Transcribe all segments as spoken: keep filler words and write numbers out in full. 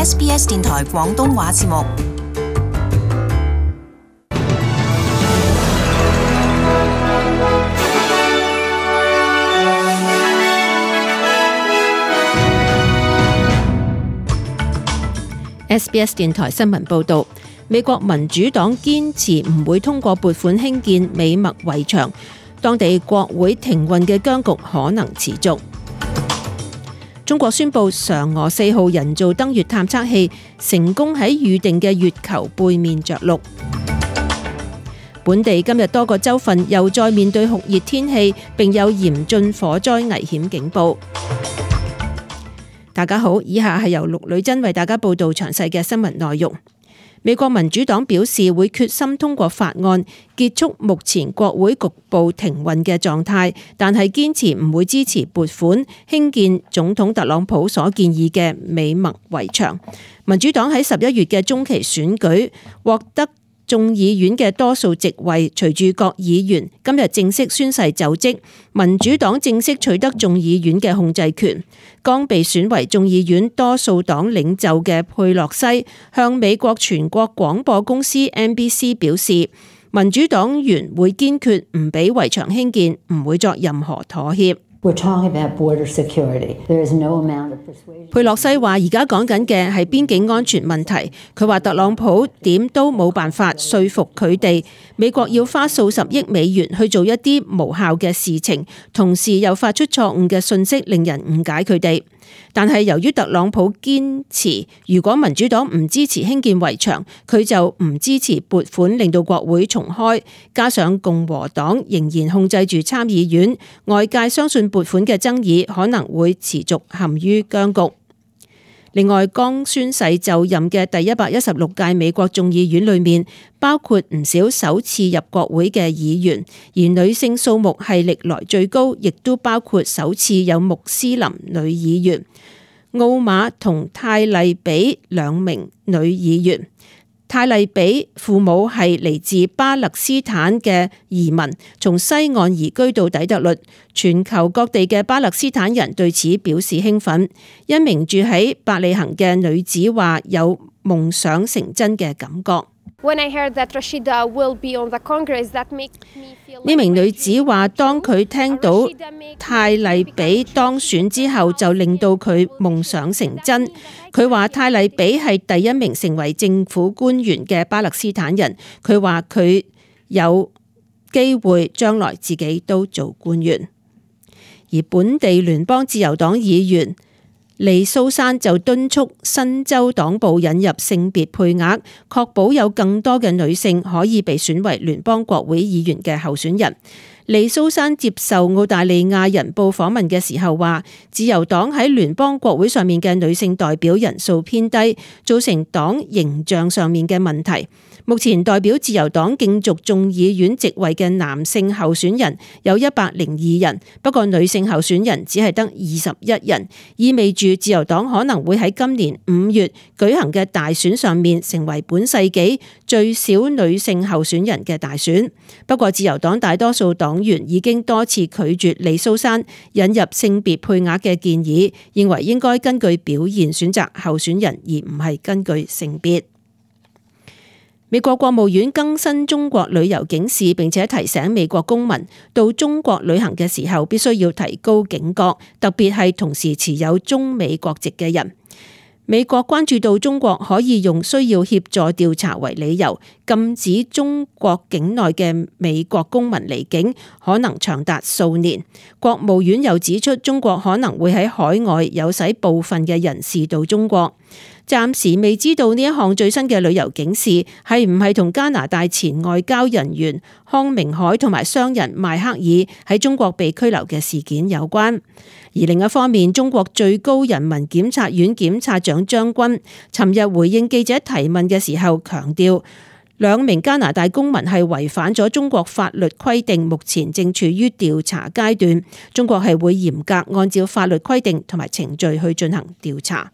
S B S 電台廣東話節目。S B S 電台新聞報導，美國民主黨堅持唔會通過撥款興建美墨圍牆，當地國會停運嘅僵局可能持續。中國宣布嫦娥四號人造登月探測器成功喺預定嘅月球背面着陸。本地今日多個州份又再面對酷熱天氣，並有嚴峻火災危險警報。大家好，以下係由陸女真為大家報道詳細嘅新聞內容。美國民主黨表示會決心通過法案結束目前國會局部停運嘅狀態，但係堅持唔會支持撥款興建總統特朗普所建議嘅美墨圍牆。民主黨喺十一月嘅中期選舉獲得眾議院嘅多數席位，隨住各議員今日正式宣誓就職，民主黨正式取得眾議院嘅控制權。剛被選為眾議院多數黨領袖嘅佩洛西向美國全國廣播公司 N B C 表示，民主黨員會堅決唔俾圍牆興建，唔會作任何妥協。We're talking about border security. There is no amount of persuasion. 佩洛西話：而家講緊嘅係邊境安全問題。佢話特朗普點都冇辦法說服佢哋，美國要花數十億美元去做一啲無效嘅事情，同時又發出錯誤嘅訊息，令人誤解佢哋。但係由於特朗普堅持，如果民主黨唔支持興建圍牆，佢就唔支持撥款令到國會重開。加上共和黨仍然控制住參議院，外界相信撥款嘅爭議可能會持續陷於僵局。另外，剛宣誓就任嘅第一百一十六屆美國眾議院裏面，包括唔少首次入國會嘅議員，而女性數目係歷來最高，亦都包括首次有穆斯林女議員，奧馬同泰麗比兩名女議員。泰麗比父母係嚟自巴勒斯坦嘅移民，從西岸移居到底特律。全球各地嘅巴勒斯坦人對此表示興奮。一名住喺伯利恆嘅女子話有夢想成真嘅感覺。呢名女子話，當佢聽到泰麗比當選之後，就令到佢夢想成真。佢話泰麗比係第一名成為政府官員嘅巴勒斯坦人。佢話佢有機會將來自己都做官員。而本地聯邦自由黨議員利蘇珊就敦促新州黨部引入性別配額，確保有更多嘅女性可以被選為聯邦國會議員嘅候選人。利蘇珊接受澳大利亞人報訪問嘅時候話，自由黨喺聯邦國會上面嘅女性代表人數偏低，造成黨形象上面嘅問題。目前代表自由黨競逐眾議院席位嘅男性候選人有一百零二人，不過女性候選人只係得二十一人，意味住自由黨可能會喺今年五月舉行嘅大選上面成為本世紀最少女性候選人嘅大選。不過自由黨大多數黨員已經多次拒絕利蘇珊引入性別配額嘅建議，認為應該根據表現選擇候選人，而唔係根據性別。美國國務院更新中國旅遊警示，並且提醒美國公民到中國旅行嘅時候必須要提高警覺，特別係同時持有中美國籍嘅人。美國關注到中國可以用需要協助調查為理由，禁止中國境內嘅美國公民離境，可能長達數年。國務院又指出，中國可能會喺海外誘使部分嘅人士到中國。暫時未知道呢一項最新嘅旅遊警示係唔係同加拿大前外交人員康明凱同埋商人邁克爾喺中國被拘留嘅事件有關。而另一方面，中國最高人民檢察院檢察長張軍尋日回應記者提問嘅時候強調，兩名加拿大公民係違反咗中國法律規定，目前正處於調查階段，中國係會嚴格按照法律規定同埋程序去進行調查。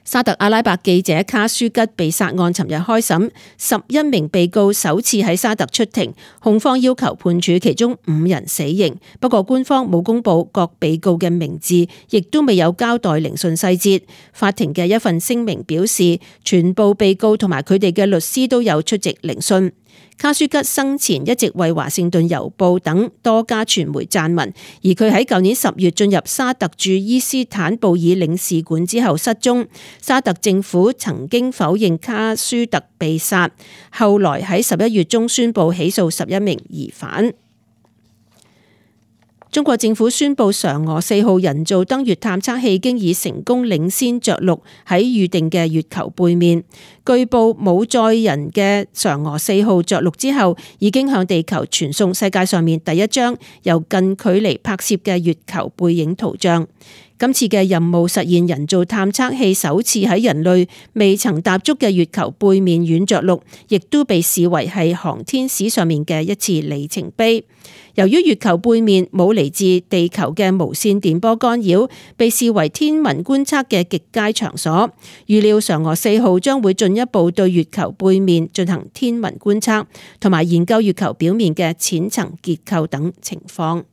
沙特阿拉伯記者卡舒吉被殺案尋日開審，十一名被告首次喺沙特出庭，控方要求判處其中五人死刑，不過官方冇公布各被告嘅名字，亦都未有交代聆訊細節。法庭嘅一份聲明表示，全部被告同埋佢哋嘅律師都有出席聆訊。卡舒吉生前一直為華盛頓郵報等多家傳媒撰文，而佢喺舊年十月進入沙特駐伊斯坦布爾領事館之後失蹤。沙特政府曾經否認卡舒特被殺，後來喺十一月中宣布起訴十一名疑犯。中國政府宣布嫦娥四號人造登月探測器經已成功領先着陸喺預定嘅月球背面。據報冇載人嘅嫦娥四號着陸之後，已經向地球傳送世界上面第一張由近距離拍攝嘅月球背影圖像。今次嘅任務實現人造探測器首次喺人類未曾踏足嘅月球背面軟着陸，亦都被視為係航天史上面嘅一次里程碑。由於月球背面冇嚟自地球嘅無線電波干擾，被視為天文觀測嘅極佳場所。預料嫦娥四號將會進一步對月球背面進行天文觀測，同埋研究月球表面嘅淺層結構等情況。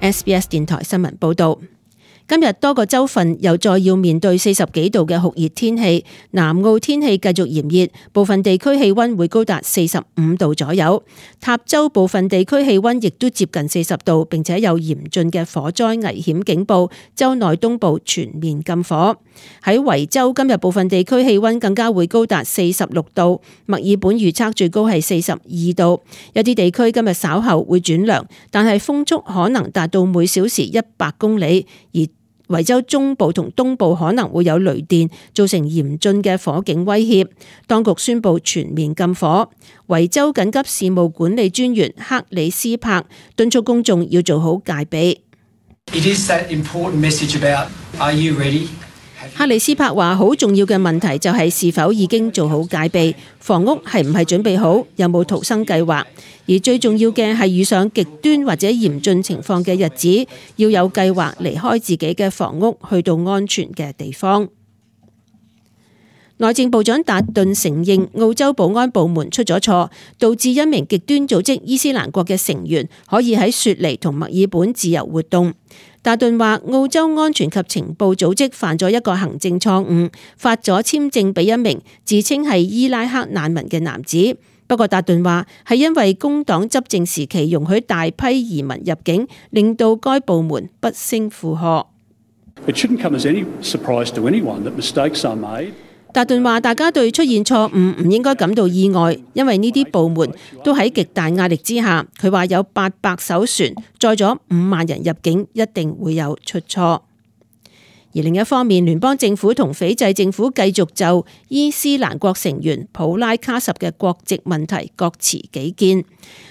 S B S 電台新聞報道。今日多個州份又再要面對四十幾度嘅酷熱天氣，南澳天氣繼續炎熱，部分地區氣溫會高達四十五度左右。塔州部分地區氣溫亦都接近四十度，並且有嚴峻嘅火災危險警報，州內東部全面禁火。喺維州今日部分地區氣溫更加會高達四十六度，墨爾本預測最高係四十二度。有啲地區今日稍後會轉涼，但係風速可能達到每小時一百公里，而維州中部同東部可能會有雷電，造成嚴峻嘅火警威脅。當局宣布全面禁火。維州緊急事務管理專員克里斯柏敦促公眾要做好戒備。It is that important message about are you ready? 克里斯柏話：好重要嘅問題就係是否已經做好戒備，房屋係唔係準備好，有冇逃生計劃，而最重要嘅係遇上極端或者嚴峻情況嘅日子，要有計劃離開自己嘅房屋，去到安全嘅地方。內政部長達頓承認澳洲保安部門出咗錯，導致一名極端組織伊斯蘭國嘅成員可以喺雪梨同墨爾本自由活動。達頓話澳洲安全及情報組織犯咗一個行政錯誤，發咗簽證俾一名自稱係伊拉克難民嘅男子。不過達頓話係因為工黨執政時期容許大批移民入境，令到該部門不勝負荷。It shouldn't come as any surprise to anyone that mistakes are made. 達頓話：大家對出現錯誤唔應該感到意外，因為呢啲部門都喺極大壓力之下。佢話有八百艘船載咗五萬人入境，一定會有出錯。而另一方面，聯邦政府同斐濟政府繼續就伊斯蘭國成員普拉卡什嘅國籍問題各持己見。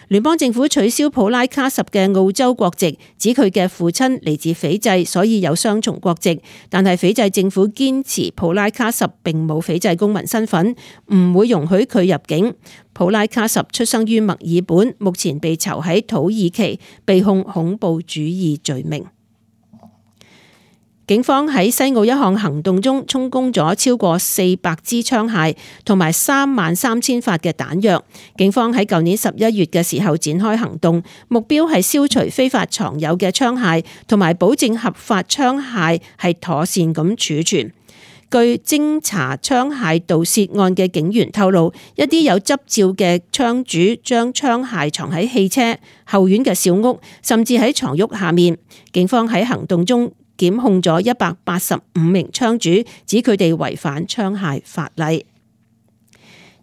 聯邦政府取消普拉卡什嘅澳洲國籍，指佢嘅父親嚟自斐濟，所以有雙重國籍。但係斐濟政府堅持普拉卡什並冇斐濟公民身份，唔會容許佢入境。普拉卡什出生於墨爾本，目前被囚喺土耳其，被控恐怖主義罪名。警方喺西澳一項行動中充公咗超過四百支槍械同埋三萬三千發嘅彈藥。警方喺舊年十一月嘅時候展開行動，目標係消除非法藏有嘅槍械，同埋保證合法槍械係妥善咁儲存。據偵查槍械盜竊案嘅警員透露，一啲有執照嘅槍主將槍械藏喺汽車、後院嘅小屋，甚至喺床褥下面。警方喺行動中檢控咗一百八十五名槍主，指佢哋違反槍械法例。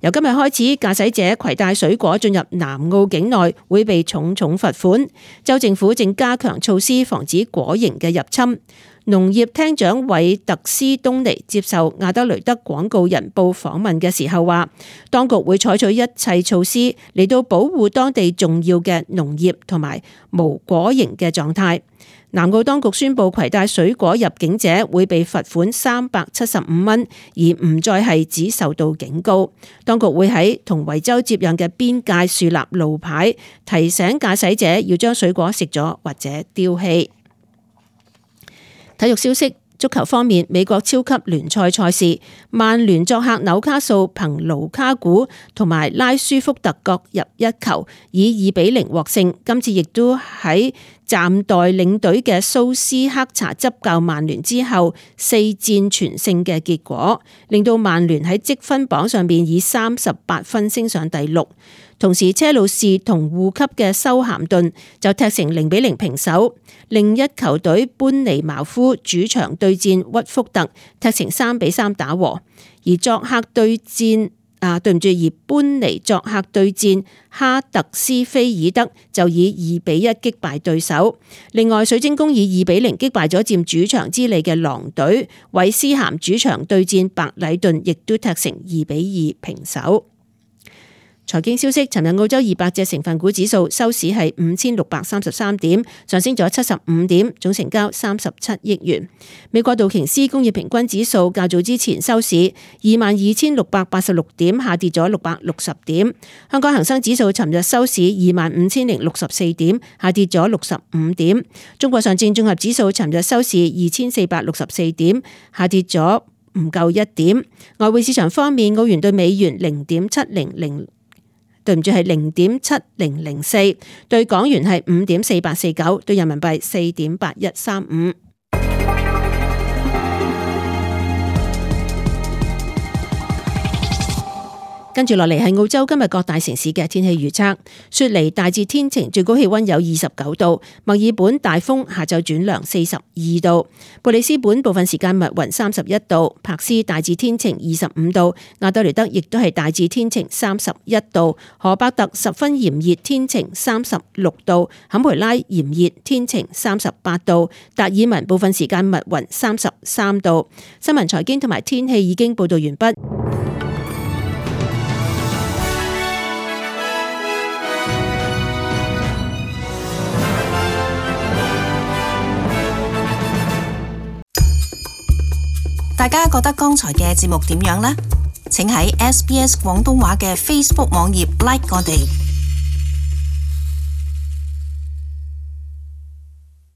由今日開始，駕駛者攜帶水果進入南澳境內會被重重罰款。州政府正加強措施防止果蠅嘅入侵。農業廳長韋特斯東尼接受亞德雷德廣告人報訪問嘅時候話，當局會採取一切措施嚟到保護當地重要嘅農業同埋無果蠅嘅狀態。南澳當局宣布，攜帶水果入境者會被罰款三百七十五蚊，而唔再係只受到警告。當局會喺同維州接壤嘅邊界樹立路牌，提醒駕駛者要將水果食咗或者丟棄。體育消息。足球方面，美國超級聯賽賽事，曼聯作客紐卡素，憑盧卡古同埋拉舒福特各入一球，以二比零獲勝。今次亦都喺暫代領隊嘅蘇斯克查執教曼聯之後，四戰全勝嘅結果，令到曼聯喺積分榜上邊以三十八分升上第六。同時，車路士同護級嘅修咸頓就踢成零比零平手。另一球隊班尼茅夫主場對戰屈福特，踢成三比三打和。而作客對戰啊，對唔住，而班尼作客對戰哈特斯菲爾德就以二比一擊敗對手。另外，水晶宮以二比零擊敗咗佔主場之利嘅狼隊。韋斯咸主場對戰白禮頓，亦都踢成二比二平手。財經消息，尋日澳洲二百隻成分股指數收市係五千六百三十三點，上升咗七十五點，總成交三十七億元。美國道瓊斯工業平均指數較早之前收市二萬二千六百八十六點，下跌咗六百六十點。香港恒生指數尋日收市二萬五千零六十四點，下跌咗六十五點。中國上證綜合指數尋日收市二千四百六十四點，下跌咗唔夠一點。外匯市場方面，澳元對美元零點七零零。對唔住，係零點七零零四，對港元係五點四八四九，對人民幣四點八一三五。跟住落嚟係澳洲今日各大城市嘅天氣預測。雪梨大致天晴，最高氣溫有二十九度；墨爾本大風，下晝轉涼四十二度；布里斯本部分時間密雲三十一度；柏斯大致天晴二十五度；亞德雷德亦都係大致天晴三十一度；荷伯特十分炎熱天晴三十六度；坎培拉炎熱天晴三十八度；達爾文部分時間密雲三十三度。新聞財經同埋天氣已經報道完畢。大家覺得剛才嘅節目點樣呢？請喺 S B S 廣東話嘅 Facebook 網頁 like 我哋。